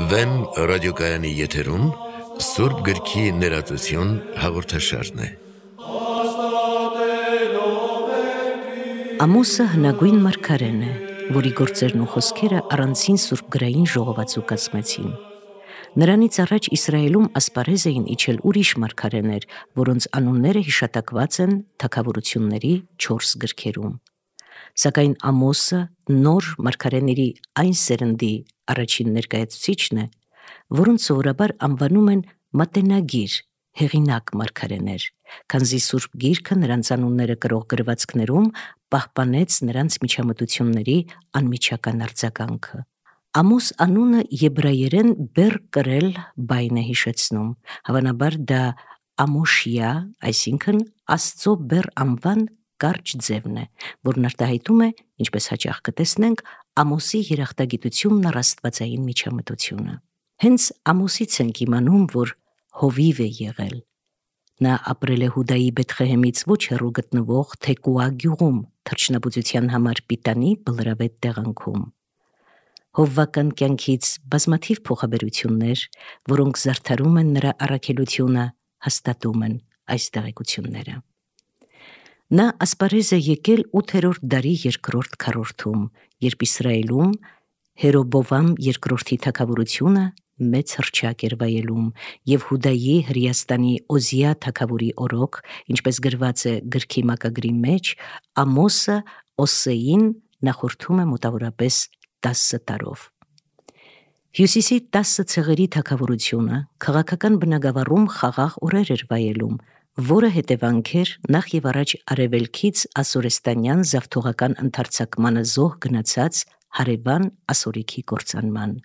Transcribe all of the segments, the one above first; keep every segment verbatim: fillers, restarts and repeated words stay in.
Վեմ ռադիոկայանի եթերում Սուրբ գրքի ներածություն հաղորդաշարն է։ Ամոսը հնագույն մարգարեն է, որի գործերն ու խոսքերը առանցին սուրբգրային ժողովածու կազմեցին։ Նրանից առաջ Իսրայելում ասպարեզ էին իջել ուրիշ մարգարեներ, որոնց անունները հիշատակված են թագավորությունների չորս գրքերում։ Սակայն Ամոսը նոր մարգարեների այն սերնդի առաջին ներկայացուցիչն է, որոնց սովորաբար անվանում են մատենագիր, հեղինակ մարգարեներ, քանզի Սուրբ Գիրքը նրանց անունները կրող գրվածքներում պահպանեց նրանց միջամտությունների անմիջական արձագանքը։ Ամոս անունը եբրայերեն բեր կրել բայն է հիշեցնում, հավանաբար դա Ամոշիա, այսինքն Աստծո բեր անվան կարճ ձևն է, որն արտահայտում է, ինչպես հաճախ կտեսնենք, Ամոսի երախտագիտությունն առ աստվածային միջամտությունը։ Հենց Ամոսից ենք իմանում, որ հովիվ է եղել։ Նա ապրել է Հուդայի Բեթխեհեմից ոչ հեռու գտնվող Թեկուա գյուղում, թռչնաբուծության համար պիտանի բլրավետ տեղանքում։ Հովվական կյանքից բազմաթիվ փոխաբերություններ, որոնք զարդարում են նրա առաքելությունը, հաստատում են այս տեղեկությունները։ Նա ասպարեզ է եկել ութերորդ դարի երկրորդ քառորդում, երբ Իսրայելում Հերոբովամ երկրորդի թագավորությունը մեծ հռչակ էր վայելում, և Հուդայի Հրեաստանի Օզիա թագավորի օրոք, ինչպես գրված է գրքի մակագրի մեջ, Ամոսը Օսեին նախորդում է մոտավորապես տասը տարով։ Հյուսիսի տասը ցեղերի թագավորությունը քաղաքական բնագավառում խաղաղ օրեր էր վայելում, որը հետևանք էր նախ եւ առաջ արևելքից ասորեստանյան զավթողական ընդարձակմանը զոհ գնացած հարևան ասորիքի կործանման։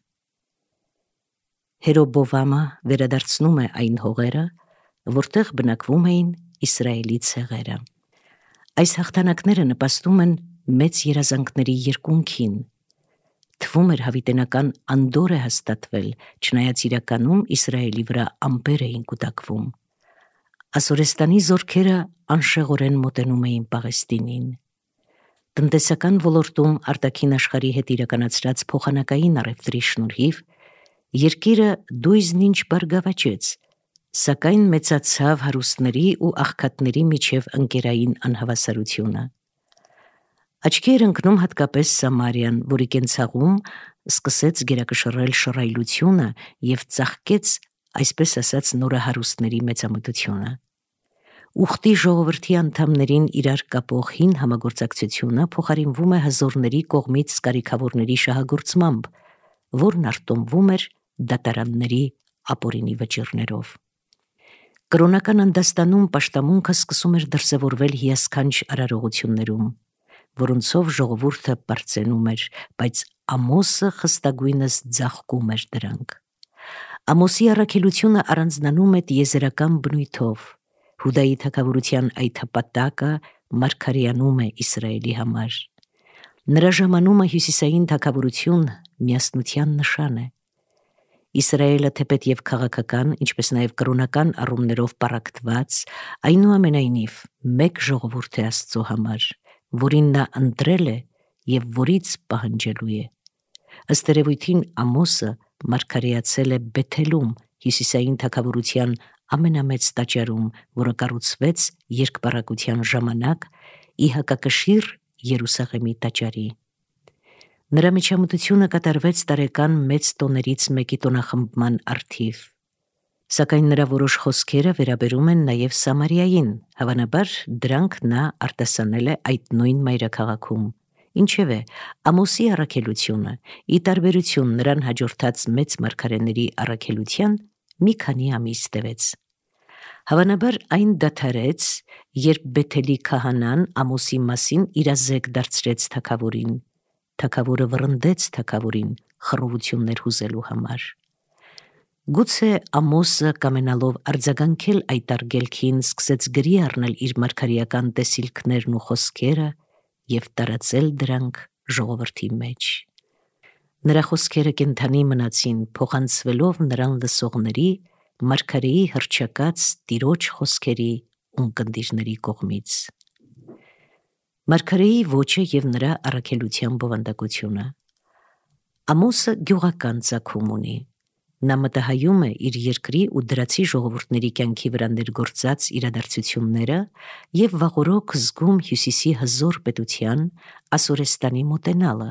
Հերոբովամը վերադարձնում է այն հողերը, որտեղ բնակվում էին Իսրայելի ցեղերը։ Այս հաղթանակները նպաստում են մեծ երազանքների երկունքին։ Թվում էր հավիտենական անդորր է հաստատվել, չնայած իրականում Իսրայելի վրա ամպեր էին կուտակվում։ Ասորեստանի զորքերը անշեղորեն մոտենում էին Պաղեստինին։ Տնտեսական ոլորտում արտաքին աշխարհի հետ իրականացրած փոխանակային առևտրի շնորհիվ երկիրը դույզնինչ բարգավաճեց, սակայն մեծացավ հարուստների ու աղքատների միջև ընկերային անհավասարությունը։ Աչքի էր ընկնում հատկապես Սամարիան, որի կենցաղում սկսեց գերակշռել շռայլությունը և ծաղկեց, այսպես ասած, նորահարուստների մեծամտությունը։ Ուխտի ժողովրդի անդամներին իրար կապող հին համագործակցությունը փոխարինվում է հզորների կողմից կարիքավորների շահագործմամբ, որն արտոնվում էր դատարանների ապօրինի վճիռներով։ Կրոնական անդաստանում պաշտամունքը սկսում էր դրսևորվել հիասքանչ արարողություններում, որոնցով ժողովուրդը պարծենում էր, բայց Ամոսը խստագույնս ձաղկում էր դրանք։ Ամոսի առաքելությունը առանձնանում է տիեզերական բնույթով։ Հուդայի թագավորության այդ հպատակը մարգարեանում է Իսրայելի համար։ Նրա ժամանումը հյուսիսային թագավորություն միասնության նշան է։ Իսրայելը թեպետև քաղաքական, ինչպես նաև կրոնական առումներով պառակտված, այնուամենայնիվ մեկ ժողովուրդ է Աստծո համար, որին նա ընտրել է և որից պահանջելու է։ Ըստ երևույթին Ամոսը մարգարեացել է Բեթելում, հյուսիսային թագավորության ամենամեծ տաճարում, որը կառուցվեց երկպառակության ժամանակ ի հակակշիռ Երուսաղեմի տաճարի։ Նրա միջամտությունը կատարվեց տարեկան մեծ տոներից մեկի տոնախմբման առթիվ, սակայն նրա որոշ խոսքերը վերաբերում են նաև Սամարիային, հավանաբար դրանք նա արտասանել է այդ նույն մայրաքաղաքում։ Ինչևէ, Ամոսի առաքելությունը, ի տարբերություն նրան հաջորդած մեծ մարգարեների առաքելության, մի քանի ամիս տևեց։ Հավանաբար այն դադարեց, երբ Բեթելի քահանան Ամոսի մասին իրազեկ դարձրեց թագավորին։ Թագավորը վռնդեց թագավորին խռովություններ հուզելու համար։ Գուցե Ամոսը, կամենալով արձագանքել այդ արգելքին, սկսեց գրի առնել իր մարգարեական տեսիլքներն ու խոսքերը և տարածել դրանք ժողովրդի մեջ։ Նրա խոսքերը կենդանի մնացին, փոխանցվելով նրան լսողների մարգարեի հռչակած տիրոջ խոսքերի ունկնդիրների կողմից։ Մարգարեի ոճը եւ նրա առաքելության բովանդակությունը։ Ամոսը գյուղական ծագում ունի։ Նա մտահայում է իր երկրի ու դրացի ժողովուրդների կյանքի վրա ներգործած իրադարձությունները եւ վաղօրոք զգում Հյուսիսի հզոր պետության Ասորեստանի մոտենալը,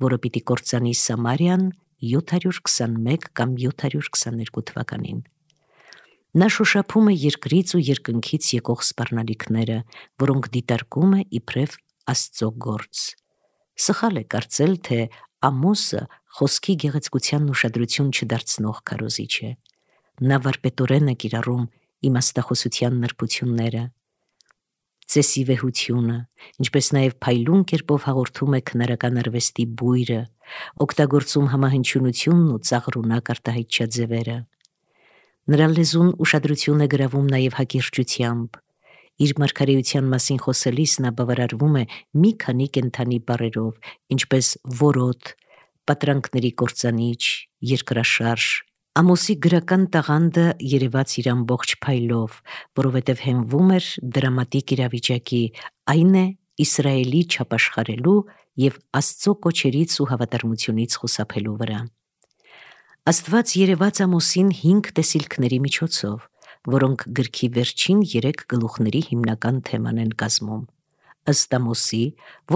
որը պիտի կործանի Սամարիան յոթ հարյուր քսանմեկ կամ յոթ հարյուր քսաներկու թվականին։ Նա շոշափում է երկրից ու երկնքից եկող սպառնալիքները, որոնք դիտարկում է իբրև Աստծո գործ։ Սխալ է կարծել, թե Ամոսը խոսքի գեղեցկությանն ուշադրություն չդարձնող քարոզիչ է։ Նա վարպետորեն է կիրառում իմաստախոսության նրբությունները, ծեսի վեհությունը, ինչպես նաև փայլուն կերպով հաղորդում է քնարական արվեստի բույրը, օգտագործում համահնչյունությունն ու ծաղրունակ արտահայտչաձևերը։ Նրա լեզուն ուշադրություն է գրավում նաև հակիրճությամբ։ Իր մարգարեության մասին խոսելիս նա բավարարվում է մի քանի կենդանի բառերով, ինչպես որոտ, պատրանքների կործանիչ, երկրաշարժ։ Ամոսի գրական տաղանդը երևաց իր ամբողջ փայլով, որովհետև հենվում էր դրամատիկ իրավիճակի, այն է Իսրայելի չապաշխարելու եւ Աստծո կոչերից ու հավատարմությունից խուսափելու վրա։ Աստված երևաց Ամոսին հինգ տեսիլքների միջոցով, որոնք գրքի վերջին երեք գլուխների հիմնական թեման են կազմում։ Ըստ Ամոսի,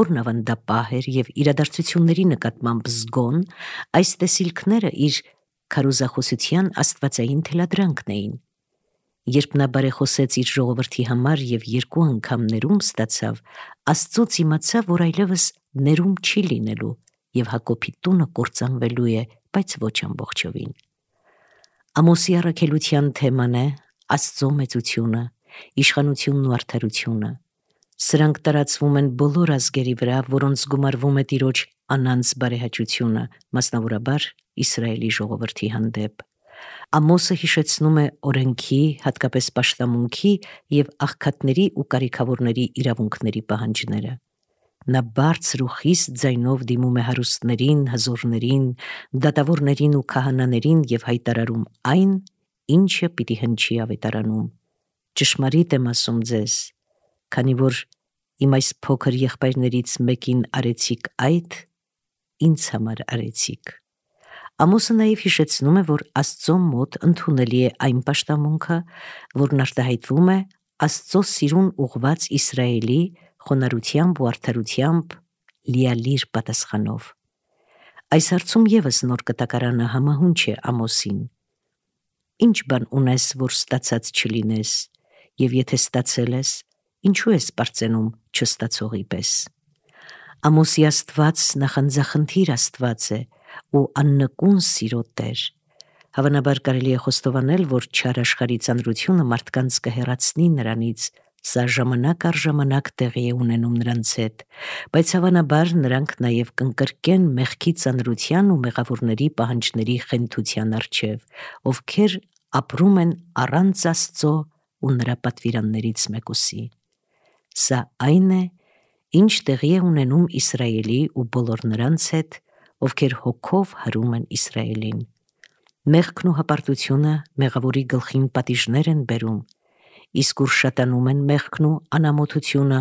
որն ավանդապահ էր եւ իրադարձությունների նկատմամբ զգոն, այս տեսիլքները իր քարոզախոսության աստվածային թելադրանքն էին։ Երբ նա բարեխոսեց իր ժողովրդի համար եւ երկու անգամ ներում ստացավ, Աստծոց իմացավ, որ այլևս ներում չի լինելու եւ Հակոբի տունը կործանվելու է, բայց ոչ ամբողջովին։ Ամոսի առաքելության թեման է Աստծո մեծությունը, իշխանությունն ու արդարությունը։ Սրանք տարածվում են բոլոր ազգերի վրա, որոնց գումարվում է Տիրոջ անանց բարեհաճությունը, մասնավորաբար Իսրայելի ժողովրդի հանդեպ։ Ամոսը հիշեցնում է օրենքի, հատկապես պաշտամունքի եւ աղքատների ու կարիքավորների իրավունքների պահանջները։ Նա բարձր ու խիստ ձայնով դիմում է հարուստներին, հզորներին, դատավորներին ու քահանաներին եւ հայտարարում այն, ինչը պիտի հնչի ավետարանում։ Ճշմարիտ եմ ասում ձեզ, քանի որ իմ այս փոքր եղբայրներից մեկին արեցիք այդ, ինձ համար արեցիք։ Ամոսը նաև հիշեցնում է, որ Աստծո մոտ ընդունելի է այն պաշտամունքը, որն արտահայտվում է Աստծո սիրուն ուղված Իսրայելի խոնարհությամբ ու արդարությամբ լիալիր պատասխանով։ Այս հարցում եւս նոր կտակարանը համահունչ է Ամոսին։ Ինչ բան ունես, որ ստացած չլինես, եւ եթե ստացել ես, ինչու ես պարծենում չստացողի պես։ Ամոսի Աստված նախանձախնդիր Աստված է ու աննկուն սիրո Տեր։ Հավանաբար կարելի է խոստովանել, որ չար աշխարհի ծանրությունը մարդկանց կհեռացնի նրանից, սա ժամանակ առ ժամանակ տեղի է ունենում նրանց հետ, բայց հավանաբար նրանք նաև կընկրկեն մեղքի ծանրության ու մեղավորների պահանջների խենթության առջև, ովքեր ապրում են առանց Աստծո ու նրա պատվիրաններից մեկուսի։ Սա այն է, ինչ տեղի է ունենում Իսրայելի ու բոլոր նրանց հետ, ովքեր հոգով հարում են Իսրայելին։ Մեղքն ու հպարտությունը մեղավորի գլխին պատիժներ են բերում, իսկ ուր շատանում են մեղքն ու անամոթությունը,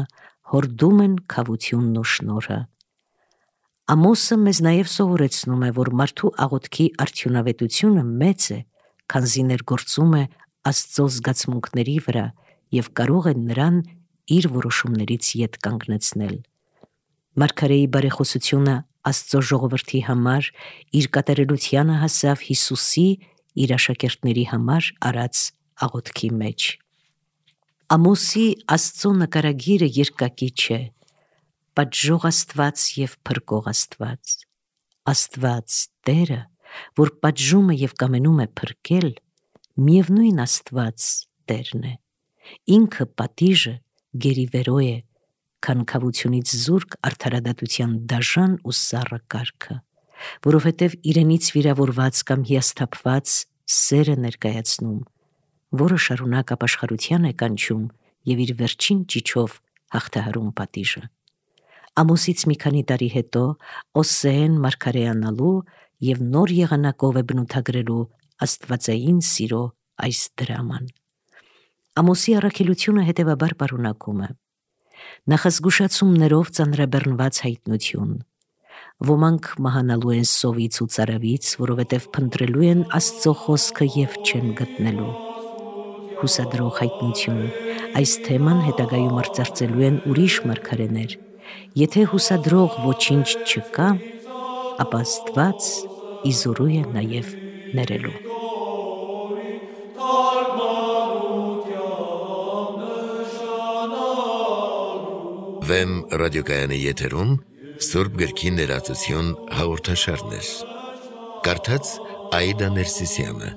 հորդում են քավությունն ու շնորհը։ Ամոսը մեզ նաև սովորեցնում է, որ մարդու աղոթքի արդյունավետությունը մեծ է, քանզի ներգործում է Աստծո զգացմունքների վրա եւ կարող է նրան իր որոշումներից ետ կանգնեցնել։ Մարգարեի բարեխոսությունը Աստծո ժողովրդի համար իր կատարելությանը հասավ Հիսուսի իր աշակերտների համար արած աղոթքի մեջ։ Ամոսի Աստծո նկարագիրը երկակի չէ, պատժող Աստված եւ փրկող Աստված։ Աստված Տերը, որ պատժում է եւ կամենում է փրկել, միևնույն Աստված Տերն է։ Ինքը պատիժը գերիվերո է, քան քավությունից զուրկ արդարադատության դաժան ու սառը կարգը, որովհետև իրենից վիրավորված կամ հիասթափված սերը ներկայացնում, որը շարունակ ապաշխարության է կանչում եւ իր վերջին ճիչով հաղթահարում պատիժը։ Ամոսից մի քանի տարի հետո Օսեեն մարգարեանալու եւ նոր եղանակով է բնութագրելու աստվածային սիրո այս դրաման։ Ամոսի առաքելությունը հետևաբար պարունակում է. նախազգուշացումներով ծանրաբեռնված հայտնություն։ Ոմանք մահանալու են սովից ու ծարավից, որովհետև փնտրելու են Աստծո խոսքը եւ չեն գտնելու։ Հուսադրող հայտնություն։ Այս թեման հետագայում արծարծելու են ուրիշ մարգարեներ։ Եթե հուսադրող ոչինչ չկա, ապա Աստված իզորու է նաև ներելու։ Վեմ ռադիոկայանի եթերում Սուրբ գրքի ներածություն հաղորդաշարներ։ Կարդաց Աիդա Ներսիսյանը։